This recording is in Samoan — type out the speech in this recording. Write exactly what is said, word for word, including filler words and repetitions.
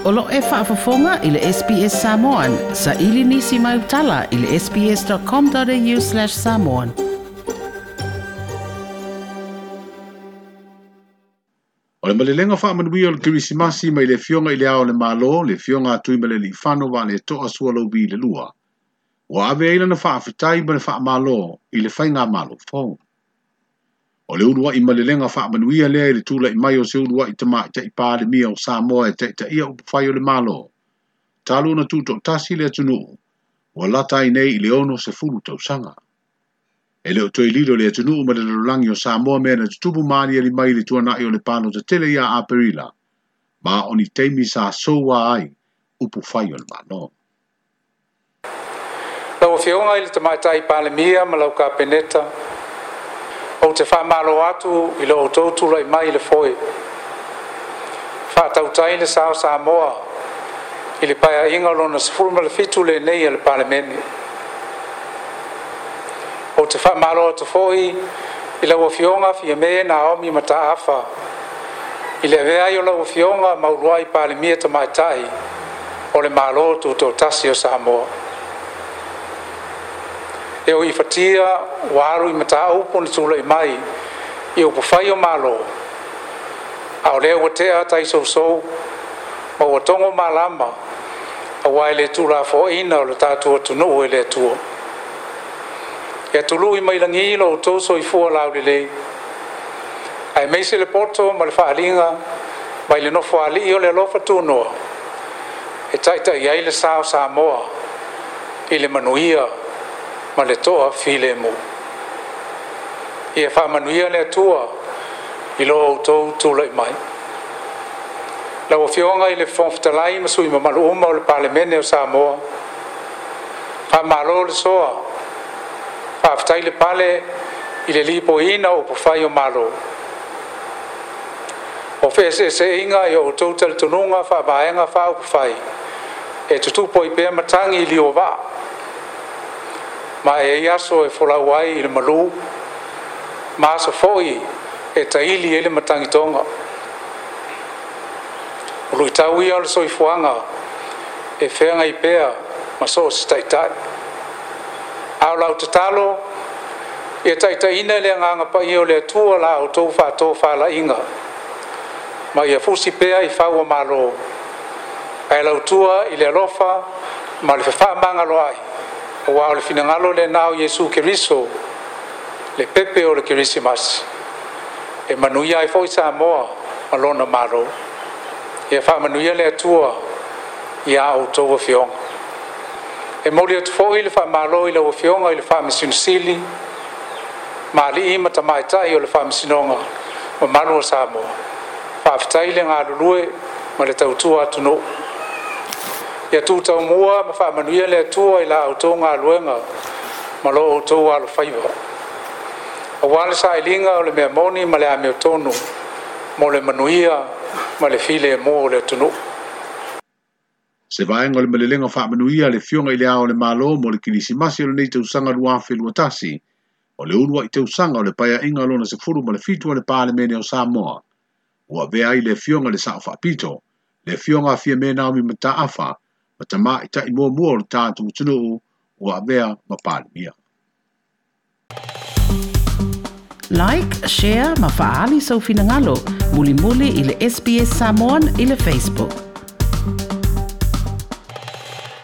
O lo e faafofoga i le S B S Samoan, sa ili nisi mai utala i le sbs.com.au slash samoan. O le malelega faamanuia o le Kerisimasi mai le Afioga i le Ao o le Malo, le Afioga a Tuimalealiifano Vaaletoa Sualauvi le Lua. Ua ave ai lana faafetai ma le faamalo i le faigamalo fou. O le uluai malelega faamanuia lea i le tula'i mai o se uluai tamaitai Palemia o Samoa e taitaia upufai o le Malo. Talu ona tutoatasi le atunuu, ua lata ai nei i le ono sefulu tausaga. E le o toe lilo le atunuu ma le lalolagi o Samoa mea na tutupu maaliali mai i le tuanai o le palota tele ia Aperila, ma o ni taimi sa soua ai upufai o le Malo. Lau Afioga i le Tamaitai Palemia ma lau Kapeneta, ou te faamalo atu i lo outou tulai mai i le foe. Faatautai le sao Samoa i le paeaiga o lona sefulu ma le fitu lenei a le Palemene. Ou te faamalo atu foi i lau Afioga Fiame Naomi Mataafa i le avea ai o lau Afioga ma uluai Palemia Tamaitai o le Malo Tutoatasi o Samoa. E o i fatia ua alu i mataupu na tulai mai i upufai o Malo, a o lea ua tea taisousou ma ua togo malama aua e le tulafoaina o le tatou atunuu e le Atua. Ia tului mai lagi lo outou soifua laulelei, aemaise le poto ma le faaliga mai le nofoalii o le alofa tunoa e taitai ai le sao Samoa i le manuia ma le toa filemu. Ia faamanuia le Atua i lo outou tulai mai. Lau Afioga i le Fofoga Fetalai ma sui usufono mamalu uma o le Palemene o Samoa, faamalo le soa, faafetai le pale i le lipoiina o upufai o Malo. O feeseeseaiga i o outou talitonuga faavaega faaupufai e tutupu ai pea matagi i liuovaa, ma e ai aso e folau ai i le malu, ma aso foi e taili ai le matagitoga. O luitau ia o le soifuaga e feagai pea ma so o se taitai. A o lau tatalo, ia taitaiina le agaga paia o le Atua la outou faatofalaiga, ma ia fusi pea i fau o Malo, ae lautua i le alofa ma le fefaamagaloai, aua o le finagalo lena o Iesu Keriso, le pepe o le Kerisimasi, e manuia ai foi Samoa ma lona Malo. Ia faamanuia le Atua ia outou afioga. E momoli atu foi le faamalo i lau Afioga i le Faamasino Sili, ma alii ma tamaitai o le Faamasinoga mamalu o Samoa. Faafetai le galulue ma le tautua atunuu. Ia tutaumua ma faamanuia le Atua i la outou galuega ma lo outou alofaiva, aua le sailiga o le mea moni ma le amiotonu mo le manuia ma le filemu o le atunuu. Se vaega o le malelega faamanuia le Afioga i le Ao o le Malo mo le Kerisimasi o lenei tausaga lua afe lua tasi, o le uluai tausaga o le paeaiga lona sefulu ma le fitu o le Palemene o Samoa. Ua avea ai le Afioga i le Sao Faapito, le Afioga a Fiame Naomi Mataafa, ma tamaitai muamua o le tatou atunuu ua avea ma Palemia. Like, share ma faali sau finagalo, mulimuli i le S B S Samoan i le Facebook.